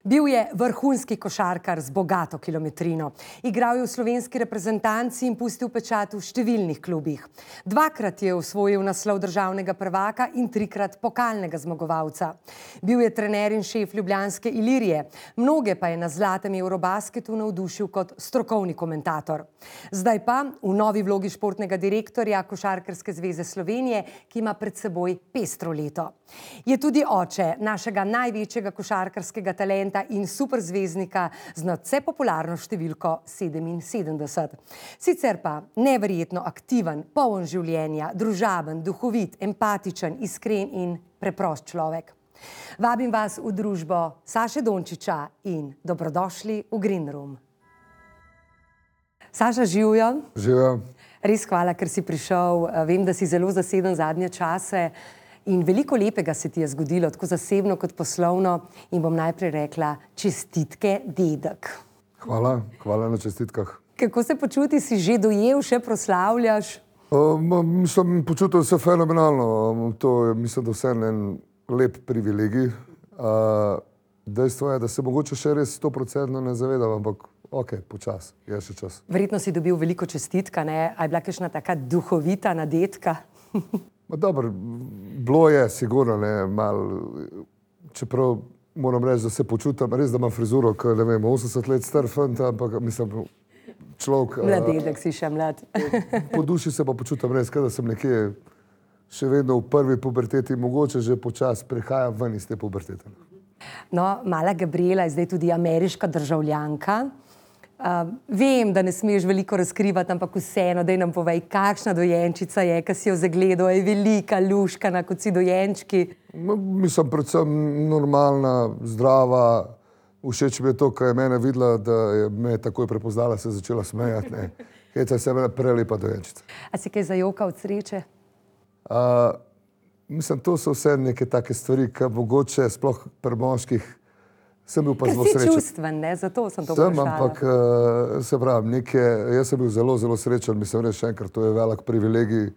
Bil je vrhunski košarkar z bogato kilometrino. Igral je v slovenski reprezentanci in pustil pečat v številnih klubih. Dvakrat je osvojil naslov državnega prvaka in trikrat pokalnega zmagovalca. Bil je trener in šef ljubljanske Ilirije. Mnoge pa je na zlatem Eurobasketu navdušil kot strokovni komentator. Zdaj pa v novi vlogi športnega direktorja Košarkarske zveze Slovenije, ki ima pred seboj pestro leto. Je tudi oče našega največjega košarkarskega talenta in superzvezdnika z nadvse popularno številko 77. Sicer pa neverjetno aktiven, poln življenja, družaben, duhovit, empatičen, iskren in preprost človek. Vabim vas v družbo Saše Dončića in dobrodošli v Green Room. Saša, živjo. Živjo. Res hvala, ker si prišel. Vem, da si zelo zaseden zadnje čase. In veliko lepega se ti je zgodilo, tako zasebno kot poslovno. In bom najprej rekla čestitke, dedek. Hvala na čestitkah. Kako se počuti, si že dojel, še proslavljaš? Mislim, počutil se fenomenalno. To je, mislim, da vse en lep privilegij. Dejstvo je, da se mogoče še res 100% ne zavedam, ampak ok, počas, je še čas. Verjetno si dobil veliko čestitka, ne? A je bila kakšna taka duhovita nadetka? Dobro, bilo je, sigurno, ne, malo, čeprav moram reči, da se počutim, res, da imam frizuro, ki, ne vem, 80 let star fant, ampak mislim, človek... Mladedek si še mlad. Po duši se pa počutim res, da sem nekje še vedno v prvi puberteti, mogoče že počas prehajam ven iz te pubertete. No, mala Gabriela je zdaj tudi ameriška državljanka. Vem, da ne smeš veliko razkrivati, ampak vseeno, daj nam povej, kakšna dojenčica je, ki si jo zagledal, je velika, luškana, kot si dojenčki. Mislim, predvsem normalna, zdrava, všeč mi je to, ko je mene videla, da je me takoj prepoznala, se je začela smejati, ne. Heca se je prelepa dojenčica. A si kaj zajoka od sreče? Mislim, to so vse neke take stvari, ki mogoče sploh pri moških sem bil pa zelo srečen. Ker si čustven, ne? Zato sem to vprašala. Ampak se pravim, jaz sem bil zelo, zelo srečen, mislim reči še enkrat, to je velik privilegij.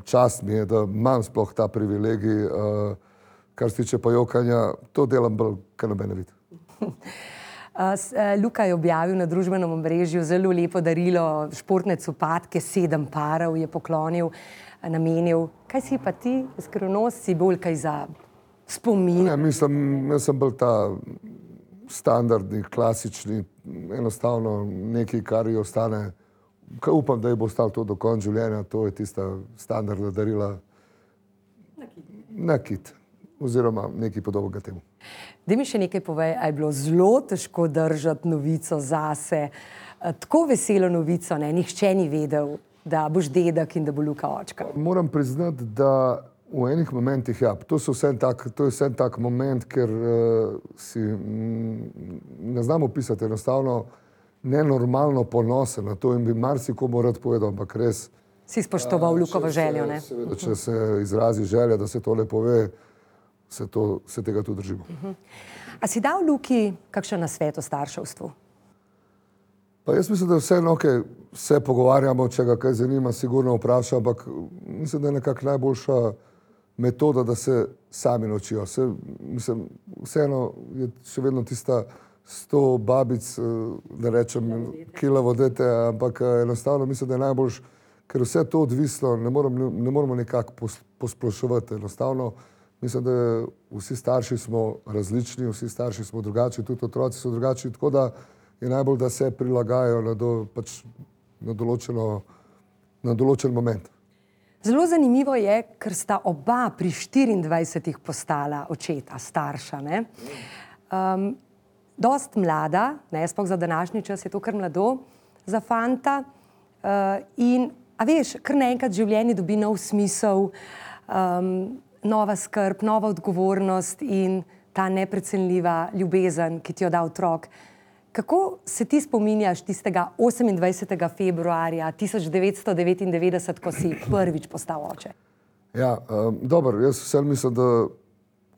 Čast mi je, da imam sploh ta privilegij. Kar se tiče pa jokanja, to delam bolj, kar noben ne vidi. Luka je objavil na družbenem omrežju zelo lepo darilo, športne copatke, 7 parov je poklonil, namenil. Kaj si pa ti, skrivnost, si bolj kaj za spomin? Ne, mislim, jaz sem bolj ta standardni, klasični, enostavno nekaj, kar ji ostane, upam, da ji bo ostalo to do konca življenja, to je tista standardna darila. Nakit. Oziroma nekaj podobnega temu. Daj mi še nekaj povej, a je bilo zelo težko držati novico zase, tako veselo novico, ne, nihče ni vedel, da boš dedek in da bo Luka očka. Moram priznati, da v enih momentih, ja, to je vse tak moment, ker si ne znam opisati, enostavno nenormalno ponosen na to in bi marsikomu rad povedal, ampak res... Si spoštoval Lukovo željo, ne? Seveda, če se izrazi želja, da se tole pove, se tega tudi držimo. A si dal Luki kakšen nasvet o starševstvu? Pa jaz mislim, da vseeno, okej, se pogovarjamo, če ga kaj zanima, sigurno vpraša, ampak mislim, da je nekako najboljša metoda, da se sami naučijo. Mislim, vseeno je še vedno tista 100 babic, da rečem, kila vodete, ampak enostavno mislim, da je najboljš, ker vse to odvisno, ne moramo nekako posploševati. Enostavno mislim, da vsi starši smo različni, vsi starši smo drugačni, tudi otroci so drugačni, tako da je najbolj, da se prilagajajo na določen moment. Zelo zanimivo je, ker sta oba pri 24 postala očeta, starša, ne? Dost mlada, ne, sploh za današnji čas je to kar mlado, za fanta. In, a veš, kar naenkrat življenje dobi nov smisel, nova skrb, nova odgovornost in ta neprecenljiva ljubezen, ki ti jo da otrok. Kako se ti spominjaš tistega 28. februarja 1999, ko si prvič postal oče? Ja, dobro, jaz vsem mislim, da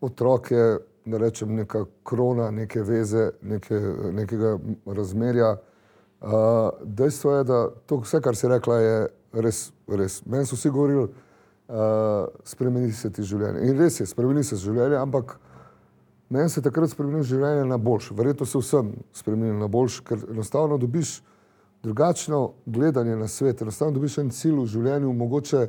otrok je, da rečem, neka krona, neke veze, nekega razmerja. Dejstvo je, da to vse, kar si rekla, je res, res. Meni so vsi govorili, spremeni se ti življenje. In res je, spremeni se življenje, ampak meni se takrat spremenilo življenje na boljše. Verjetno se vsem spremenilo na boljše, ker enostavno dobiš drugačno gledanje na svet, enostavno dobiš en cilj v življenju, mogoče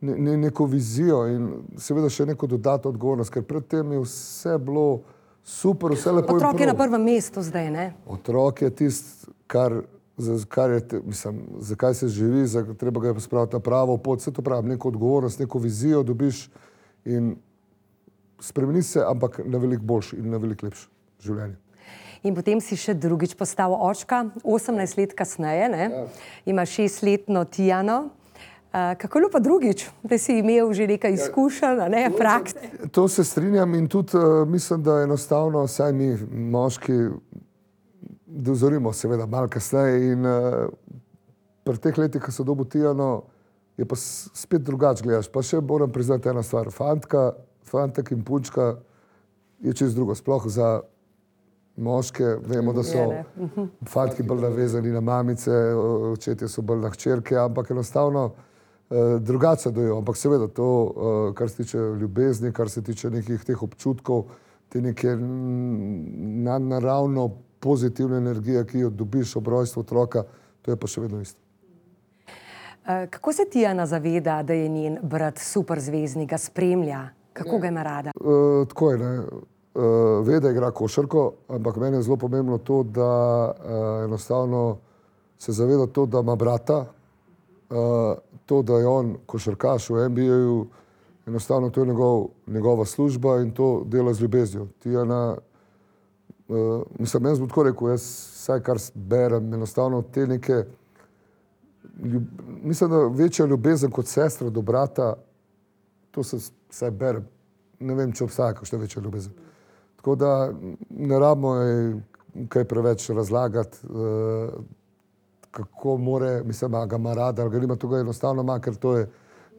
neko vizijo in seveda še neko dodatno odgovornost, ker predtem je vse bilo super, vse lepo in prav. Otrok je na prvem mestu zdaj, ne? Otrok je tisti, zakaj se živi, treba ga je spraviti na pravo pot, vse to pravim, neko odgovornost, neko vizijo dobiš in spremeni se, ampak na veliko boljše in na veliko lepše življenje. In potem si še drugič postal očka, 18 let kasneje, ne? Ja. Ima 6-letno Tijano. Kako je bilo pa drugič, da si imel že nekaj izkušenj, ne, praks? To se strinjam in tudi mislim, da enostavno, saj mi moški dozorimo seveda malo kasneje in pri teh letih, ko so dobil Tijano, je pa spet drugače gledaš. Pa še moram priznati ena stvar, fantek in punčka je čisto drugo, sploh za moške, vemo, da so fantki bolj navezani na mamice, očetje so bolj na hčerke, ampak enostavno drugače dojo, ampak seveda to, kar se tiče ljubezni, kar se tiče nekih teh občutkov, te neke nadnaravno pozitivne energije, ki jo dobiš ob rojstvu otroka, to je pa še vedno isto. Kako se Tijana zaveda, da je njen brat superzvezdnik, ga spremlja? Kako ga ima rada? Tako je, ne. Ve, da igra košarko, ampak meni je zelo pomembno to, da enostavno se zaveda to, da ima brata, to, da je on košarkaš v NBA-ju, enostavno to je njegova služba in to dela z ljubeznijo. Tijana, mislim, jaz bom tako rekel, jaz vsaj kar berem, enostavno te neke, mislim, da večja ljubezen kot sestra do brata, to se vsaj berem, ne vem, če obstaja kakšna večja ljubezen. Tako da ne rabimo kaj preveč razlagati, kako more, mislim, ga ima rada, ali ga nima, to ga enostavno ima, ker to je,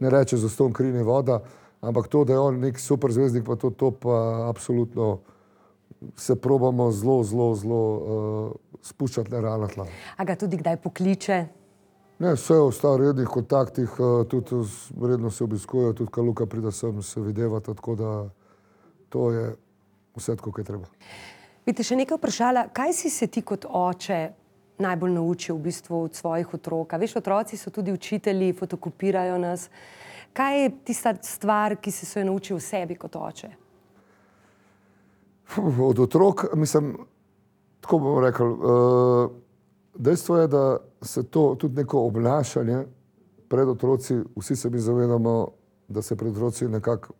ne reče za ston kri ni voda, ampak to, da je on nek superzvezdnik, pa to pa absolutno se probamo zelo spuščati na realna tla. A ga tudi kdaj pokliče? Ne, vse je v rednih kontaktih, tudi redno se obiskujejo, tudi ko Luka pride sem, se videvata, tako da to je vse tako, kaj treba. Bi te še nekaj vprašala, kaj si se ti kot oče najbolj naučil v bistvu od svojih otrok? Veš, otroci so tudi učitelji, fotokopirajo nas. Kaj je tista stvar, ki si se jo naučil v sebi kot oče? Od otrok, mislim, tako bomo rekli, dejstvo je, da se to tudi neko obnašanje pred otroci, vsi se mi zavedamo, da se pred otroci nekako,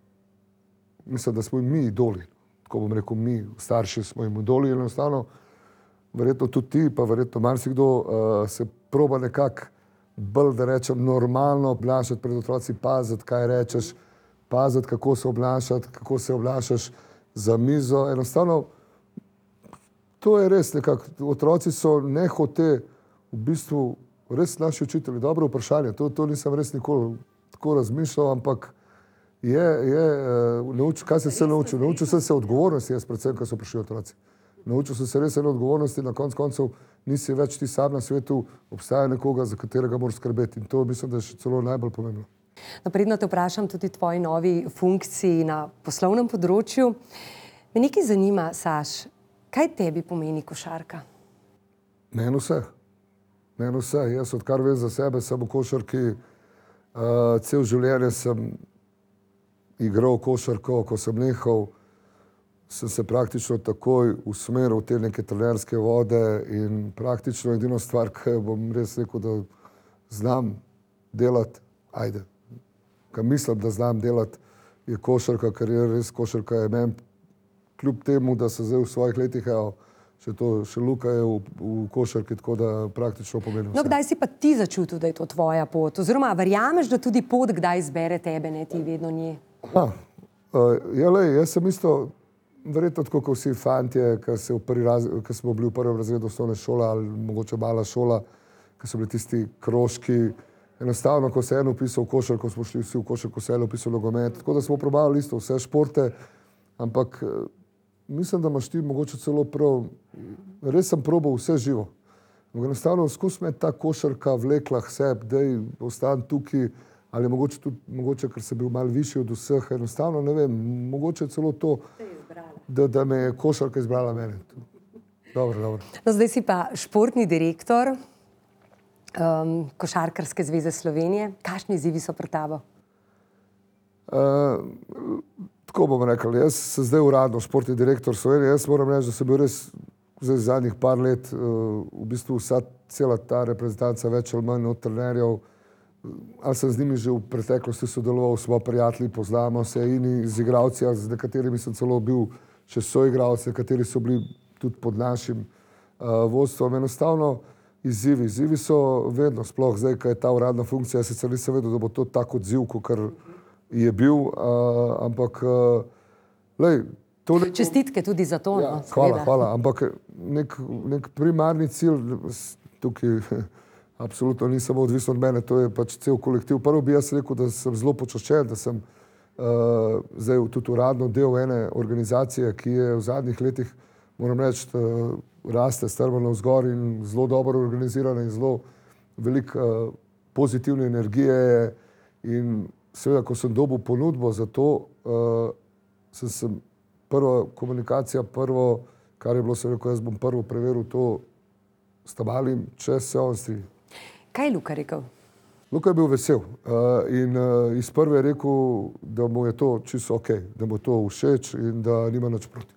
mislim, da smo mi idoli. Tako bom rekel, mi, starši smo jim idoli in enostavno, verjetno tudi ti, pa verjetno marsikdo se proba nekako bolj, da rečem, normalno obnašati pred otroci, paziti, kaj rečeš, paziti, kako se obnašati, kako se obnašaš za mizo. Enostavno, to je res nekako, otroci so nehote v bistvu res naši učitelji. Dobro vprašanje, to nisem res nikoli tako razmišljal, ampak kaj sem se naučil? Naučil sem se odgovornosti, jaz predvsem, ko so prišli otroci. Naučil sem se res ene odgovornosti, na koncu koncev nisi več ti sam na svetu, obstaja nekoga, za katerega moraš skrbeti. In to mislim, da je še celo najbolj pomembno. Napredno te vprašam tudi tvoji novi funkciji na poslovnem področju. Me nekaj zanima, Saš, kaj tebi pomeni košarka? Meni vse. Jaz odkar vem za sebe, sem v košarki, cel življenje sem igral košarko, ko sem nehal, sem se praktično takoj usmeril v te neke trenerske vode in praktično edino stvar, ki bom res rekel, da znam delati, kaj mislim, da znam delati, je košarka, ker je res košarka je meni, kljub temu, da se zdaj v svojih letih, še Luka je v košarki, tako da praktično pomeni vse. No, kdaj si pa ti začutil, da je to tvoja pot? Oziroma, verjameš, da tudi pot kdaj izbere tebe, ne ti vedno nje? Jaz sem isto, verjetno tako, kot vsi fantje, ki smo bili v prvem razredu osnovne šole ali mogoče mala šola, ki so bili tisti krožki. Enostavno, ko se je en vpisal v košarko, smo šli vsi v košarko, se je en vpisal v nogomet. Tako da smo probali isto vse športe, ampak mislim, da imaš ti mogoče celo prav, res sem probal vse živo. Enostavno skozi me ta košarka vlekla k sebi, da ostan tukaj, ali mogoče tudi, ker sem bil malo višji od vseh, enostavno ne vem, mogoče celo to, da me je košarka izbrala mene. Dobro. No, zdaj si pa športni direktor Košarkarske zveze Slovenije. Kakšni izzivi so pred tabo? Tako bom rekel, jaz sem zdaj uradno športni direktor Slovenije, jaz moram reči, da sem bil res zdaj zadnjih par let v bistvu cela ta reprezentanca več ali manj od trenerjev, ali sem z njimi že v preteklosti sodeloval, smo prijatelji, poznamo se in z igralci, z nekaterimi sem celo bil še soigralci, nekateri so bili tudi pod našim vodstvom. Enostavno izzivi so vedno, sploh zdaj, ko je ta uradna funkcija, sicer nisem vedel, da bo to tak odziv, kakor je bil, ampak čestitke tudi za to. Ja, hvala, ampak nek primarni cilj tukaj absolutno ni samo odvisno od mene, to je pač cel kolektiv. Prvo bi jaz rekel, da sem zelo počaščen, da sem zdaj tudi uradno del ene organizacije, ki je v zadnjih letih, moram reči, raste strmano vzgor in zelo dobro organizirana in zelo veliko pozitivne energije. In seveda, ko sem dobil ponudbo za to, sem prva komunikacija, kar je bilo, sem rekel, jaz bom prvo preveril to s Tabalim, če se on strinja. Kaj je Luka rekel? Luka je bil vesel in iz prve je rekel, da mu je to čisto ok, da mu to všeč in da nima nič proti.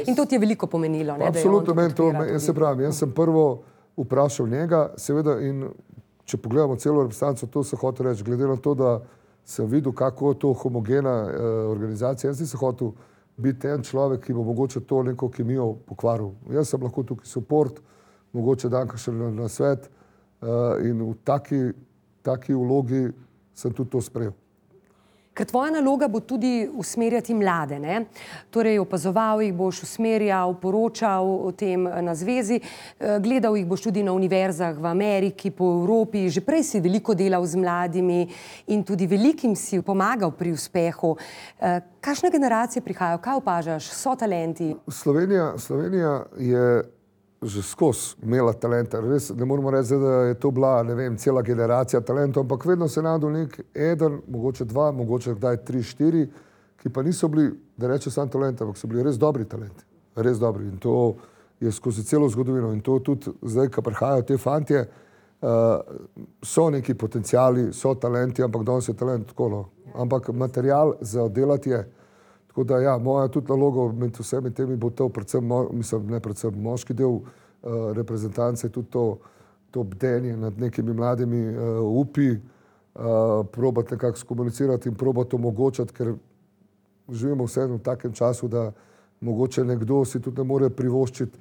In to ti je veliko pomenilo, ne? Absolutno meni to, jaz se pravim, jaz sem prvo vprašal njega, seveda, in če pogledamo celo reprezentanco, to se hotel reči, glede na to, da sem videl, kako je to homogena organizacija, jaz nisem hotel biti en človek, ki bo mogoče to neko kemijo pokvaril. Jaz sem lahko tukaj support, mogoče dan kakšen na svet in v taki vlogi sem tudi to sprejel. Ker tvoja naloga bo tudi usmerjati mlade, ne? Torej opazoval jih boš, usmerjal, poročal o tem na zvezi, gledal jih boš tudi na univerzah v Ameriki, po Evropi, že prej si veliko delal z mladimi in tudi velikim si pomagal pri uspehu. Kakšne generacije prihajajo, kaj opažaš, so talenti? Slovenija je že skozi imela talenta. Res ne moramo reči, da je to bila, ne vem, cela generacija talentov, ampak vedno se najdel nek eden, mogoče dva, mogoče kdaj 3, 4, ki pa niso bili, da reče sam talent, ampak so bili res dobri talenti. Res dobri. In to je skozi celo zgodovino. In to tudi zdaj, ko prihajajo te fantje, so neki potenciali, so talenti, ampak danes je talent tako, no. Ampak material za oddelati je. Tako da ja, moja tudi naloga med vsemi temi bo to, predvsem, mislim, ne predvsem moški del reprezentance, tudi to bdenje nad nekimi mladimi upi, probati nekako skomunicirati in probati omogočati, ker živimo vseeno v takem času, da mogoče nekdo si tudi ne more privoščiti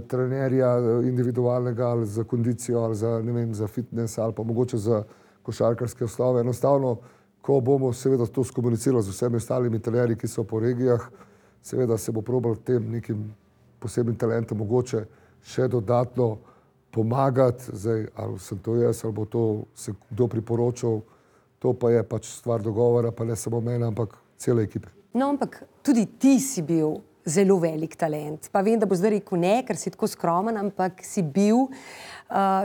trenerja individualnega ali za kondicijo ali za, ne vem, za fitness ali pa mogoče za košarkarske osnove. Enostavno, ko bomo seveda to skomunicirali z vsemi ostalimi trenerji, ki so po regijah, seveda se bo probal tem nekim posebnim talentom mogoče še dodatno pomagati. Zdaj, ali sem to jaz, ali bo to se kdo priporočal, to pa je pač stvar dogovora, pa ne samo mene, ampak cele ekipe. No, ampak tudi ti si bil zelo velik talent. Pa vem, da bo zdaj rekel ne, ker si tako skromen, ampak si bil,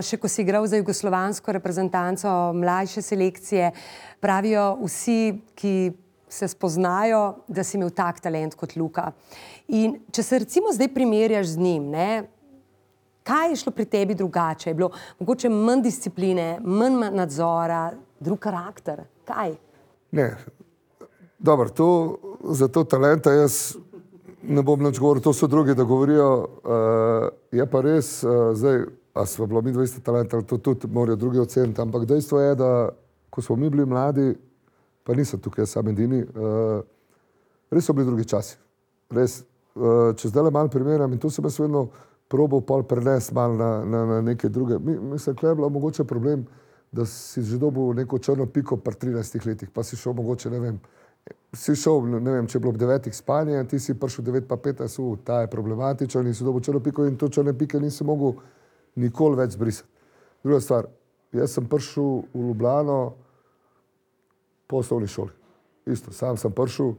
še ko si igral za jugoslovansko reprezentanco mlajše selekcije, pravijo vsi, ki se spoznajo, da si imel tak talent kot Luka. In če se recimo zdaj primerjaš z njim, ne, kaj je šlo pri tebi drugače? Je bilo mogoče manj discipline, manj nadzora, drug karakter? Kaj? Ne. Dobro, za to talenta jaz ne bom nič govoril, to so drugi, da govorijo. Je pa res, zdaj, a smo bilo mi 200 talenta, to tudi morajo drugi oceniti, ampak dejstvo je, da ko smo mi bili mladi, pa nisem tukaj sam edini, res so bili drugi časi. Res, če zdaj le malo primerjam, in to sem jaz vedno probal pol prenesti malo na neke druge. Mislim, da je bilo mogoče problem, da si že dobil neko črno piko pri 13 letih, pa si šel mogoče, ne vem, ne vem, če je bilo ob 9 spanje, ti si prišel 9 pa 15, ta je problematičen in si dobil črno piko in to črne pike nisi mogel nikoli več zbrisati. Druga stvar, jaz sem prišel v Ljubljano po osnovni šoli. Isto, sam sem prišel,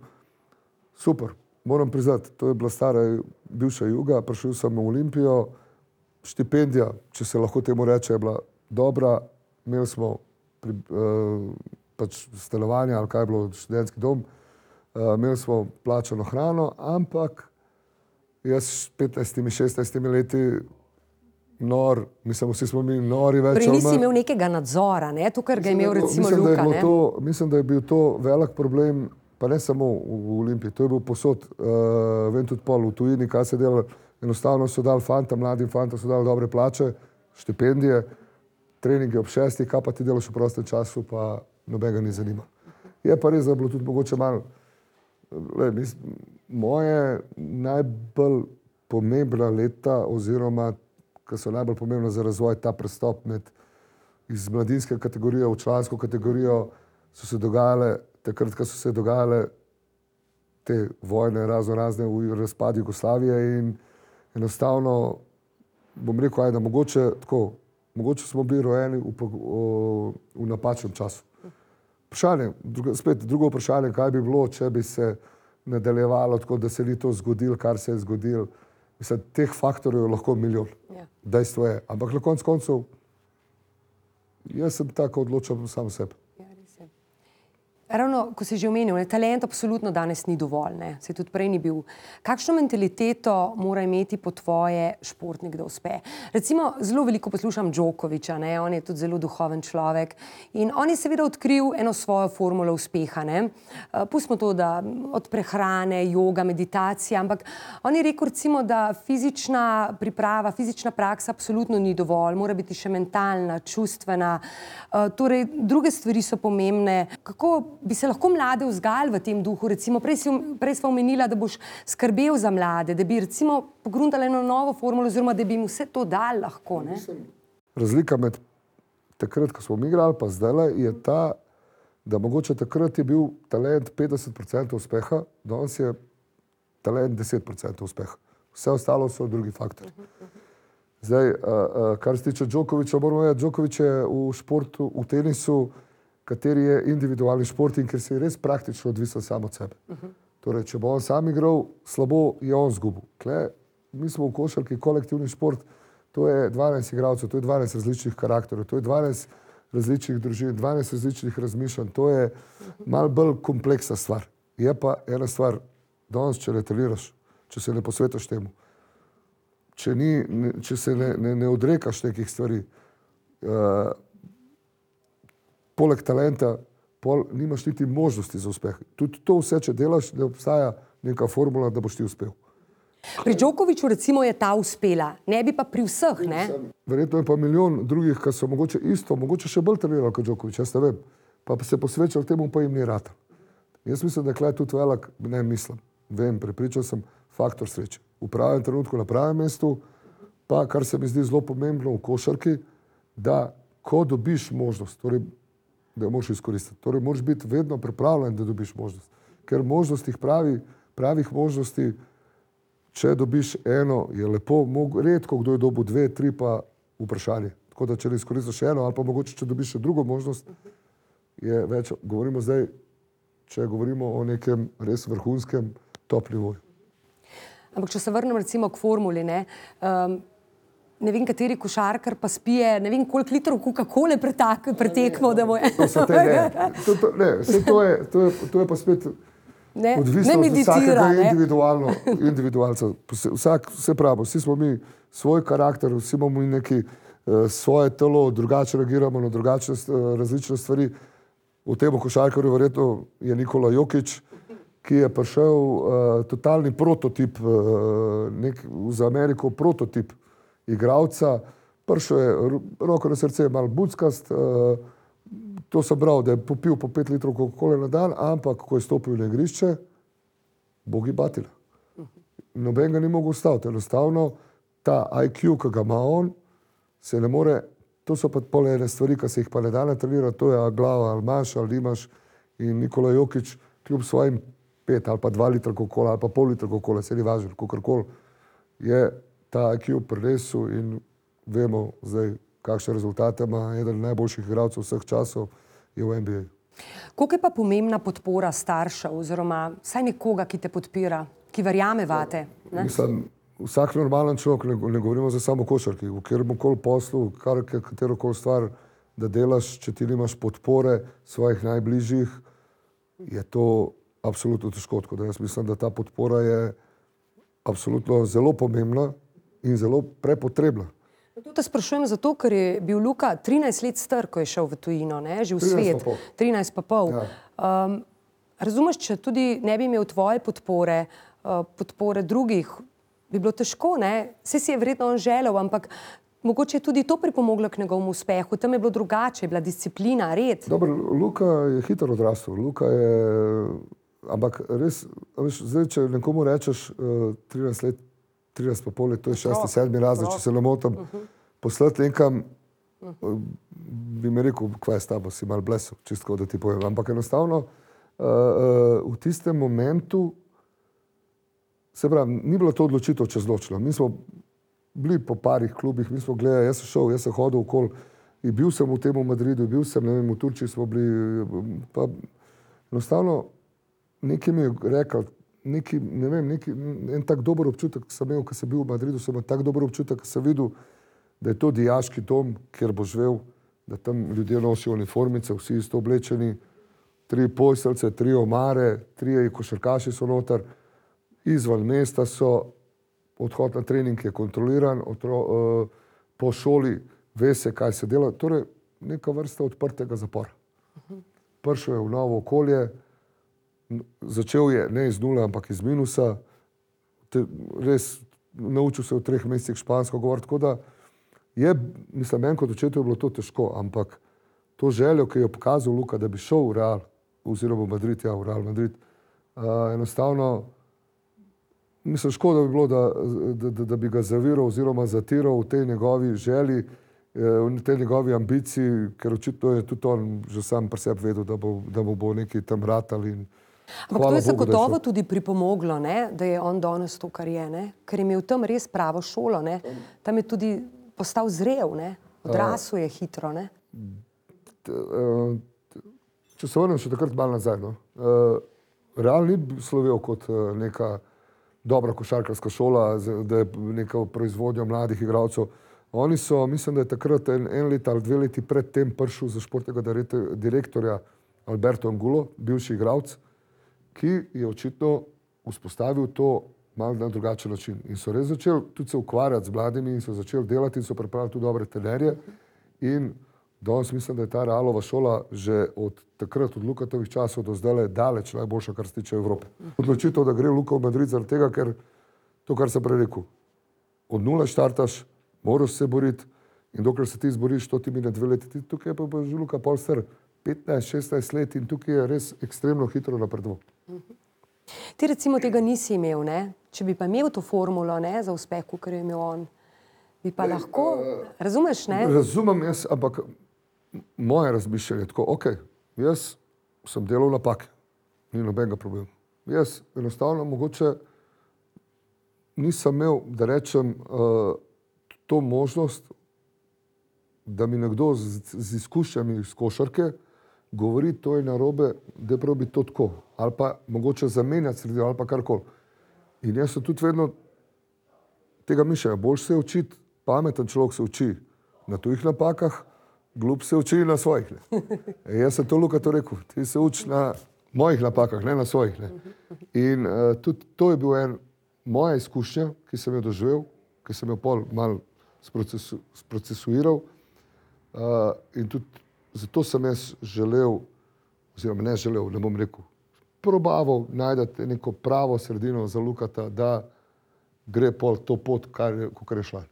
super, moram priznati, to je bila stara bivša Juga, prišel sem v Olimpijo, štipendija, če se lahko temu reče, je bila dobra. Imeli smo pač stanovanje ali kaj je bilo, študentski dom, imeli smo plačano hrano, ampak jaz s 15-16 leti nor, mislim, vsi smo mi nori več. Torej nisi imel nekega nadzora, ne? To, kar ga je imel recimo Luka, ne? Mislim, da je bil to velik problem, pa ne samo v Olimpiji, to je bil posod, vem tudi pol v tujini, kaj se dela, enostavno so dali mladim fantom so dali dobre plače, štipendije, treningi ob 6, kaj pa ti delaš v prostem času, pa nobenega ni zanima. Je pa res, da je bilo tudi mogoče malo, moje najbolj pomembna leta oziroma ki so najbolj pomembna za razvoj, ta prestop iz mladinske kategorije v člansko kategorijo, so se dogajale, takrat, ko so se dogajale te vojne razne v razpadu Jugoslavije in enostavno, bom rekel, da mogoče smo bili rojeni v napačnem času. Drugo vprašanje, kaj bi bilo, če bi se nadaljevalo tako, da se ni to zgodilo, kar se je zgodilo. Mislim, teh faktorjev je lahko milijon. Dejstvo je. Ampak na koncu koncev, jaz sem tako odločal sam sebe. Ravno, ko si že omenil, talent absolutno danes ni dovolj, ne? Se tudi prej ni bil. Kakšno mentaliteto mora imeti po tvoje športnik, da uspe? Recimo, zelo veliko poslušam Djokoviča, ne? On je tudi zelo duhoven človek in on je seveda odkril eno svojo formulo uspeha, ne? Pustimo to, da od prehrane, joga, meditacija, ampak on je rekel recimo, da fizična priprava, fizična praksa absolutno ni dovolj, mora biti še mentalna, čustvena, torej druge stvari so pomembne. Kako bi se lahko mlade vzgajali v tem duhu? Recimo, prej sva omenila, da boš skrbel za mlade, da bi recimo pogruntali eno novo formulo oziroma da bi jim vse to dali lahko, ne? Razlika med takrat, ko smo mi igrali, pa zdajle, je ta, da mogoče takrat je bil talent 50% uspeha, danes je talent 10% uspeha. Vse ostalo so drugi faktori. Zdaj, kar se tiče Djokoviča, moramo vedeti, Djokovič je v športu, v tenisu, kateri je individualni šport in ker si res praktično odvisen samo od sebe. Torej, če bo on sam igral, slabo je on zgubil. Mi smo v košarki kolektivni šport, to je 12 igralcev, to je 12 različnih karakterov, to je 12 različnih družin, 12 različnih razmišljanj, to je malo bolj kompleksna stvar. Je pa ena stvar, danes, če ne treniraš, če se ne posvetiš temu, če se ne odrekaš nekih stvari, poleg talenta, nimaš niti možnosti za uspeh. Tudi to vse, če delaš, ne obstaja neka formula, da boš ti uspel. Pri Djokoviču recimo je ta uspela, ne bi pa pri vseh, ne? Verjetno je pa milijon drugih, ki so mogoče isto, mogoče še bolj trenirali kot Djokovič, jaz ne vem, pa se posvečali temu, pa jim ni ratal. Jaz mislim, da je tudi velik, ne mislim, vem, prepričal sem, faktor sreče. V pravem trenutku, na pravem mestu, pa kar se mi zdi zelo pomembno v košarki, da ko dobiš možnost, torej da jo moraš izkoristiti. Torej, moraš biti vedno pripravljen, da dobiš možnost. Ker možnostih pravih možnosti, če dobiš eno, je lepo, redko kdo je dobil 2, 3 pa vprašanje. Tako da, če ne izkoristiš eno, ali pa mogoče, če dobiš še drugo možnost, je več, govorimo zdaj, če govorimo o nekem res vrhunskem top nivoju. Ampak, če se vrnem recimo k formuli, ne vem, kateri košarkar pa spije, ne vem, koliko litrov Coca-Cole pretekmo, da bo je. To je pa spet odvisno od vsakega individualca. Vse pravo, vsi smo mi svoj karakter, vsi imamo neki svoje telo, drugače reagiramo na drugačne različne stvari. V tem košarkarju verjetno je Nikola Jokić, ki je prišel totalni prototip, za Ameriko prototip igralca, prišel je roko na srce, malo buckast, to sem bral, da je popil po 5 litrov Coca-Cole na dan, ampak ko je stopil na igrišče, bogi batila. Noben ga ni mogel ustaviti, enostavno ta IQ, ki ga ima on, se ne more, to so pa pol ene stvari, ki se jih pa ne da natrenirati, to je glava, ali imaš, ali nimaš, in Nikola Jokić, kljub svojim 5 ali pa 2 litra Coca-Cola, ali pa pol litra Coca-Cola, se ni važno, kakorkoli, je ta IQ prinesel in vemo zdaj, kakšne rezultate ima eden najboljših igralcev vseh časov je v NBA. Koliko je pa pomembna podpora staršev oziroma vsaj nekoga, ki te podpira, ki verjame vate? Mislim, vsak normalen človek, ne govorimo za samo košarki, v katerem koli poslu, katero koli stvar, da delaš, če ti nimaš podpore svojih najbližjih, je to absolutno težko. Tako da jaz mislim, da ta podpora je absolutno zelo pomembna in zelo prepotrebna. To te sprašujem zato, ker je bil Luka 13 let star, ko je šel v tujino, že v svet. 13 pa pol. Ja. Razumeš, če tudi ne bi imel tvoje podpore, podpore drugih, bi bilo težko, ne? Saj si je verjetno on želel, ampak mogoče je tudi to pripomoglo k njegovemu uspehu. Tam je bilo drugače, je bila disciplina, red. Dobro, Luka je hitro odrastel. Luka je, ampak res, veš, zdaj, če nekomu rečeš 13 let, 13 pa pol let, to je 6., 7. razred, če se ne motim, poslati nekam, bi mi rekel, kva je s tabo, si malo blesel, čistko, da ti povem. Ampak enostavno, v tistem momentu, se pravi, ni bilo to odločitev čez noč. Mi smo bili po parih klubih, mi smo gledali, jaz sem šel, jaz sem hodil okoli in bil sem v tem v Madridu, bil sem, ne vem, v Turčiji smo bili, pa enostavno nekaj mi je rekel, neki, ne vem, en tak dober občutek sem imel, ko sem bil v Madridu, sem imel tak dober občutek, ko sem videl, da je to dijaški dom, kjer bo živel, da tam ljudje nosijo uniformice, vsi isto oblečeni, 3 posteljce, 3 omare, 3 košarkaši so noter, izven mesta so, odhod na trening je kontroliran, po šoli ve se, kaj se dela, torej neka vrsta odprtega zapora. Prišel je v novo okolje, začel je ne iz nule, ampak iz minusa, res naučil se v 3 mesecih špansko govoriti, tako da je, mislim, meni kot očetu je bilo to težko, ampak to željo, ki je pokazal Luka, da bi šel v Real, oziroma v Madrid, v Real Madrid, enostavno, mislim, škoda bi bilo, da bi ga zaviral oziroma zatiral v tej njegovi želji, v tej njegovi ambiciji, ker očitno je tudi on že sam pri sebi vedel, da mu bo nekaj tam ratali. Ampak to je zagotovo tudi pripomoglo, ne? Da je on danes to, kar je, ne? Ker je imel tam res pravo šolo, ne? Tam je tudi postal zrel, ne? Odrasel je hitro, ne? Če se vrnem še takrat malo nazaj, no? Real ni slovel kot neka dobra košarkarska šola, da je neka proizvodnja mladih igralcev. Oni so, mislim, da je takrat en let ali 2 leti pred tem prišel za športnega direktorja Alberto Angulo, bivši igralec, ki je očitno vzpostavil to malo na drugačen način. In so res začeli tudi se ukvarjati z mladimi in so začeli delati in so pripravili tudi dobre trenerje. In danes mislim, da je ta Realova šola že od takrat, od Lukatovih časov do zdaj daleč najboljša, kar se tiče Evrope. Odločitev, da gre Luka v Madrid zaradi tega, ker to, kar sem prej rekel, od nule štartaš, moraš se boriti in dokler se ti izboriš, to ti mine 2 leti. Tukaj pa že Luka pol star 15-16 let in tukaj je res ekstremno hitro napredoval. Ti recimo tega nisi imel, ne? Če bi pa imel to formulo, ne, za uspeh, kakor je imel on, bi pa lahko, razumeš, ne? Razumem jaz, ampak moje razmišljanje je tako, ok, jaz sem delal napake, ni nobenega problema. Jaz enostavno mogoče nisem imel, da rečem, to možnost, da mi nekdo z izkušnjami iz košarke govori, to je narobe, da probi to tako. Ali pa mogoče zamenjati sredino, ali pa karkoli. In jaz sem tudi vedno tega mišljenja. Boljše se učiti, pameten človek se uči na tujih napakah, glup se uči na svojih. Jaz sem to Luka to rekel. Ti se uči na mojih napakah, ne na svojih. Ne. In tudi to je bil moja izkušnja, ki sem jo doživel, ki sem jo pol malo sprocesuiral. In tudi zato sem jaz želel, oziroma ne želel, ne bom rekel, probaval najdati neko pravo sredino za Lukata, da gre pol to pot, kakor je šla.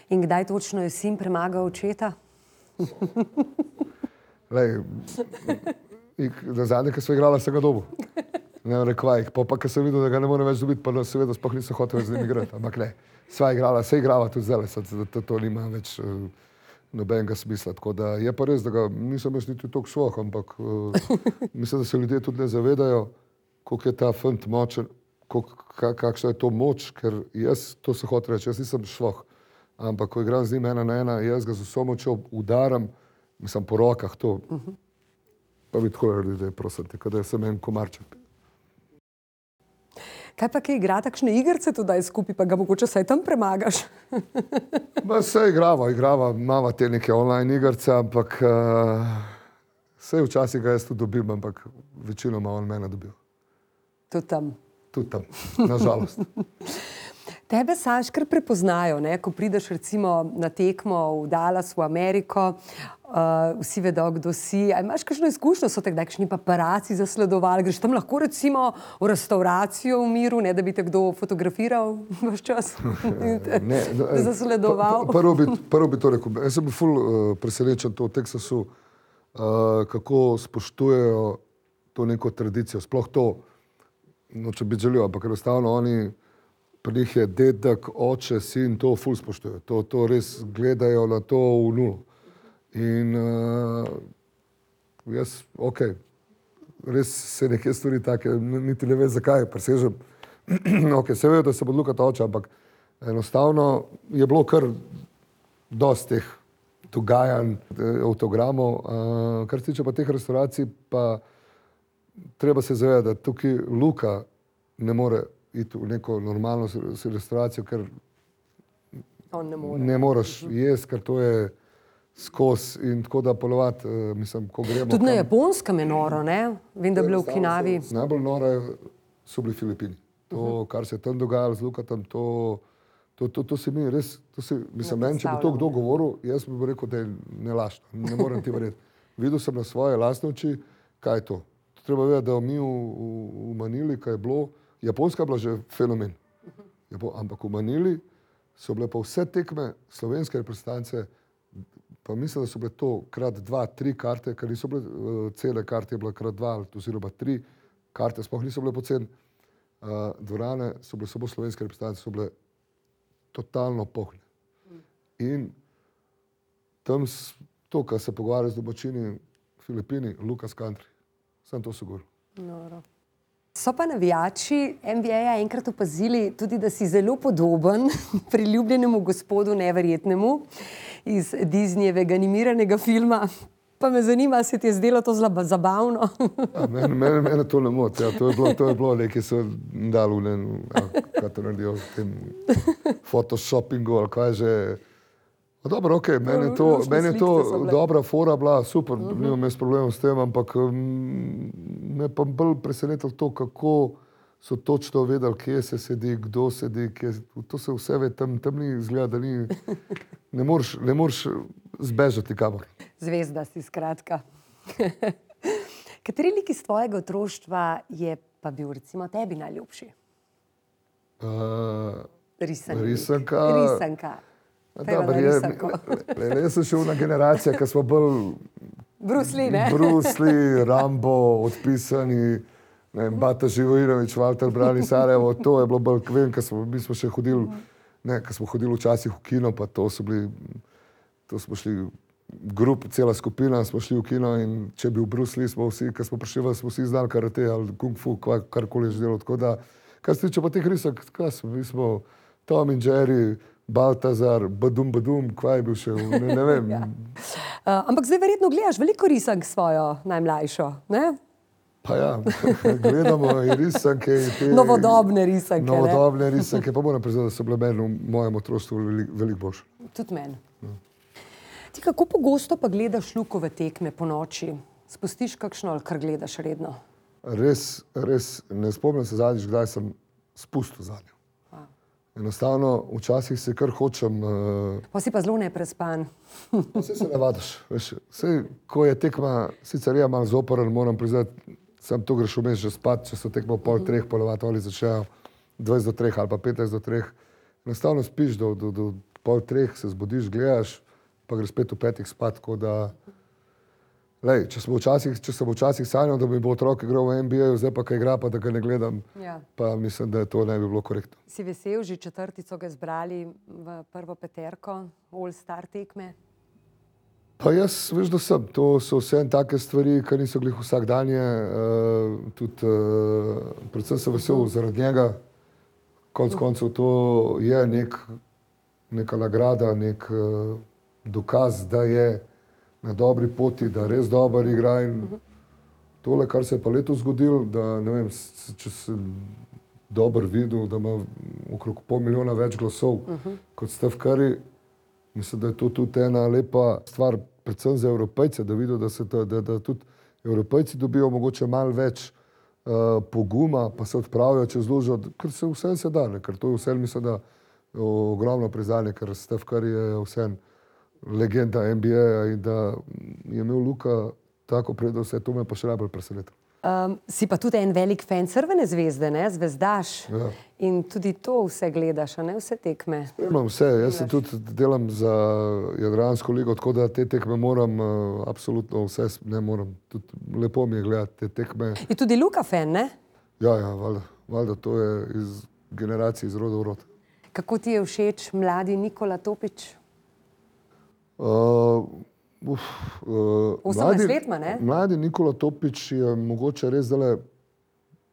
In kdaj točno je sin premagal očeta? Lej, na zadnje, ko sva igrala, sem ga dobil. Ne rekvajih, pa ko sem videl, da ga ne morem več dobiti, pa seveda sploh nisem hotel več z njim igrati. Ampak ne, sva igrala, se igrava tudi zdaj, to nima več nobenega smisla. Tako da je pa res, da ga nisem jaz niti toliko švoh, ampak mislim, da se ljudje tudi ne zavedajo, koliko je ta fant močen, kakšna je to moč, ker jaz, to se hoče reči, jaz nisem švoh, ampak ko igram z njim 1 na 1, jaz ga z vso močjo udaram, mislim po rokah to, pa bi tako naredili, da je prosim te, kada sem en komarček. Kaj pa, ki igra takšne igrice tudi skupaj, pa ga mogoče saj tam premagaš? Se igrava, imava te neke online igrice, ampak saj včasih ga jaz tudi dobim, ampak večinoma on mene dobil. Tudi tam. Tudi tam, nažalost. Tebe, Saš, kar prepoznajo, ne? Ko prideš recimo na tekmo v Dallas, v Ameriko, vsi vedo, kdo si. A imaš kakšno izkušnjo, so te kakšni paparaci zasledovali? Greš tam lahko recimo v restauracijo v miru, ne da bi te kdo fotografiral vaš čas? Ne, zasledoval? Prvo bi to rekel. Jaz sem bil ful presenečen to v Teksasu, kako spoštujejo to neko tradicijo. Sploh to, noče biti žaljiv, ampak enostavno oni, pri njih je dedek, oče, sin, to ful spoštujejo. To res gledajo na to v nulo. In jaz, res se neke stvari take, niti ne vem zakaj, presežem. Se vejo, da se bo Luka oče, ampak enostavno je bilo kar dosti teh dogajanj, avtogramov. Kar se tiče pa teh restauracij, pa treba se zavedati, da tukaj Luka ne more iti v neko normalno restauracijo, ker ne moreš jesti, ker to je skozi in tako da polovati, mislim, ko gremo. Tudi na Japonskem je noro, ne? Vem, da je bilo v Okinavi. Najbolj noro so bili Filipini. To, kar se je tam dogajalo z Lukatom, to se mi res, mislim, meni, če bi to kdo govoril, jaz bi rekel, da je nelašno, ne morem ti verjeti. Videl sem na svoje lastne oči, kaj je to. Treba vedeti, da mi v Manili, kaj je bilo, Japonska je bila že fenomen, ampak v Manili so bile pa vse tekme slovenske reprezentance, pa mislim, da so bile to krat 2, 3 karte, ker niso bile cele karte, je bila krat 2, oziroma 3 karte, sploh niso bile poceni. Dvorane so bile samo slovenske reprezentance, so bile totalno polne. In tam to, kar se pogovarja z domačini Filipini, Lucas Country, sem to so govoril. Noro. So pa navijači NBA enkrat opazili tudi, da si zelo podoben priljubljenemu gospodu Neverjetnemu iz Disneyjevega animiranega filma. Pa me zanima, se ti je zdelo to zelo zabavno? Mene to ne moti. Ja. To je bilo nekaj, so dali kaj to naredijo v tem photoshoppingu ali kaj že. Dobro, meni je to dobra fora bila, super, nimam jaz problemov s tem, ampak me pa bolj presenetilo to, kako so točno vedeli, kje se sedi, kdo sedi, to se vse ve, tam ni izgleda, da ni, ne moreš zbežati kamor. Zvezda si, skratka. Kateri lik iz tvojega otroštva je pa bil recimo tebi najljubši? Risanka. Jaz sem še ona generacija, ki smo bolj Bruce Lee, ne? Bruce Lee, Rambo, odpisani, Bata Živojinović, Walter Brani, Sarajevo, to je bilo bolj, vem, mi smo še hodili, ko smo hodili včasih v kino, pa to smo šli cela skupina, smo šli v kino in če je bil Bruce Lee, smo vsi znali karate ali kung fu, karkoli je že delo, tako da, kar se tiče pa teh risank, mi smo Tom in Jerry, Baltazar, Badum, kva je bil še, ne vem. Ja. Ampak zdaj verjetno gledaš veliko risank svojo najmlajšo, ne? Pa ja, gledamo in risanke. Novodobne risanke, ne? Novodobne risanke, pa moram priznati, da so bile meni v mojem otroštvu veliko boljše. Tudi meni. Ti kako pogosto pa gledaš Lukove tekme po noči? Spustiš kakšno ali kar gledaš redno? Res, ne spomnim se zadnjič, kdaj sem spustil zadnjo. Enostavno, včasih se kar hočem... Pa si pa zelo neprespan. Vse se navadaš. Ko je tekma, sicer je malo zoporen, moram priznati, sam to greš vmes že spat, če so tekmo 2:30, polovati ali začnejo 2:50 ali pa 15:50. Enostavno spiš do 2:30, se zbudiš, gledaš, pa greš spet v 5 spat, tako da... Lej, če sem včasih sanjal, da bi bo otrok igral v NBA-ju, zdaj pa kaj igra, pa da ga ne gledam, pa mislim, da to ne bi bilo korektno. Si vesel, že 4. so ga zbrali v prvo peterko, All-Star tekme? Pa jaz, veš, da sem. To so vse take stvari, ki niso glih vsakdanje. Predvsem sem vesel zaradi njega. Konec koncev to je neka nagrada, nek dokaz, da je na dobri poti, da res dober igra in tole, kar se je pa letos zgodilo, da ne vem, če se dobro videl, da ima okrog 500 milijona več glasov kot Steph Curry. Mislim, da je to tudi ena lepa stvar, predvsem za Evropejce, da vidijo, da tudi Evropejci dobijo mogoče malo več poguma, pa se odpravijo čez lužo, ker se vsem se da, ker to je vsem, mislim, da ogromno priznanje, ker Steph Curry je vsem legenda NBA-ja in da je imel Luka tako prednost, to me pa še najbolj presenetilo. Si pa tudi en velik fan Crvene zvezde, ne? Zvezdaš. Ja. In tudi to vse gledaš, a ne? Vse tekme. Imam vse, jaz se tudi delam za Jadransko ligo, tako da te tekme moram, absolutno vse ne moram. Tudi lepo mi je gledati te tekme. Je tudi Luka fan, ne? Ja, valjda, to je iz generacije, iz roda v rod. Kako ti je všeč mladi Nikola Topič? 18 let ima, ne? Mladi Nikola Topič je mogoče res zdaj,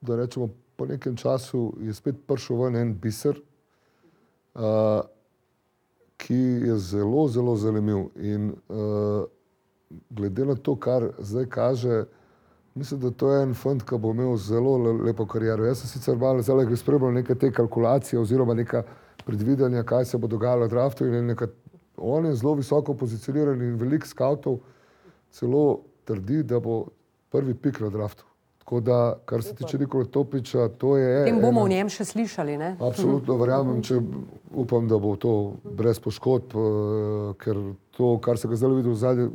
da rečemo, po nekem času je spet prišel ven en biser, ki je zelo, zelo zanimiv. In glede na to, kar zdaj kaže, mislim, da to je en fant, ki bo imel zelo lepo kariero. Jaz sem sicer malo zdaj spremljal neke te kalkulacije oziroma neka predvidanja, kaj se bo dogajalo v draftu in on je zelo visoko pozicioniran in veliko skavtov celo trdi, da bo prvi pik na draftu. Tako da, kar se tiče Nikola Topiča, to je... Tem bomo o njem še slišali, ne? Absolutno verjamem, upam, da bo to brez poškodb, ker to, kar se ga zdaj videl zadnje,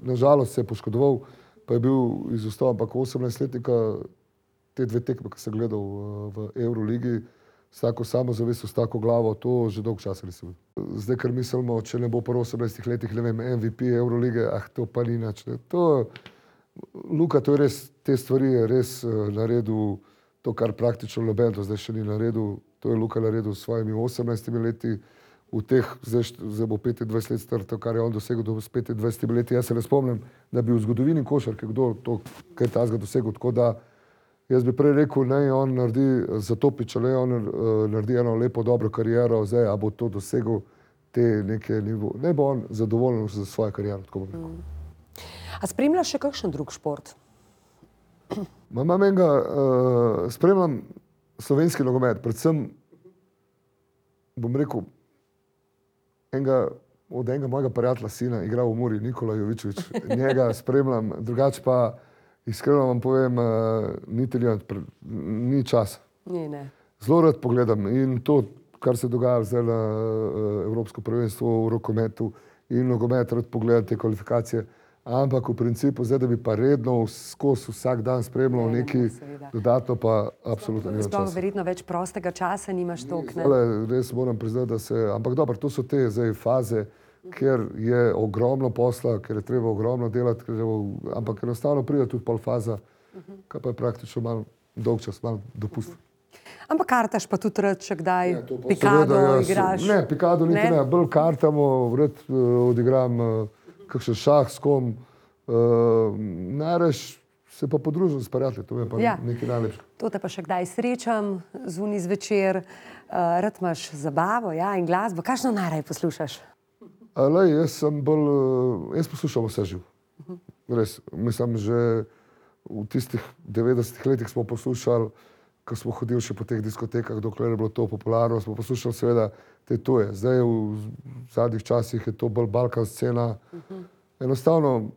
nažalost se je poškodoval, pa je bil izostal, ampak 18-letnika te dve tekme, ki sem gledal v Euroligi, s tako samozavestjo, s tako glavo, to že dolgo časa nisem videl. Zdaj, ker mislimo, če ne bo po 18 letih, ne vem, MVP Eurolige, to pa ni nič. Luka, to je res, te stvari je res naredil to, kar praktično noben do zdaj še ni naredil. To je Luka naredil s svojimi 18 leti, v teh, zdaj bo 25 let star, to, kar je on dosegel do 25 leti. Jaz se ne spomnim, da bi v zgodovini košarke kdo to, kaj tazga dosegel, tako da jaz bi prej rekel, naj on naredi za Topiča, naj on naredi eno lepo, dobro kariero, zdaj, a bo to dosegel te neke nivo. Ne bo on zadovoljen za svojo kariero, tako bom rekel. A spremljaš še kakšen drug šport? Imam enega, spremljam slovenski nogomet, predvsem, bom rekel, od enega mojega prijatelja sina igra v Muri, Nikola Jovičević, njega spremljam, drugače pa iskreno vam povem, ni časa. Ne. Zelo rad pogledam in to, kar se dogaja zdaj na Evropsko prvenstvo v rokometu in nogomet, rad pogledam te kvalifikacije, ampak v principu zdaj, da bi pa redno skozi vsak dan spremljal nekaj dodatno, pa absolutno nima časa. Sploh verjetno več prostega časa nimaš toliko, ne? Res moram priznati, da se, ampak dobro, to so te zdaj faze, ker je ogromno posla, ker je treba ogromno delati, ampak enostavno pride tudi pol faza, kaj pa je praktično malo dolg čas, malo dopust. Ampak kartaš pa tudi rad, če kdaj pikado igraš? Ne, pikado niti ne, bolj kartamo, rad odigram kakšen šah s kom, najraž se pa podružim s prijatelji, to je pa nekaj najlepše. To te pa še kdaj srečam zunaj zvečer, rad imaš zabavo, ja, in glasbo, kakšno najraje poslušaš? Jaz poslušam vse živ. Res, mislim, že v tistih 90 letih smo poslušali, ko smo hodili še po teh diskotekah, dokler je bilo to popularno, smo poslušali seveda te tuje. Zdaj v zadnjih časih je to bolj balkan scena. Enostavno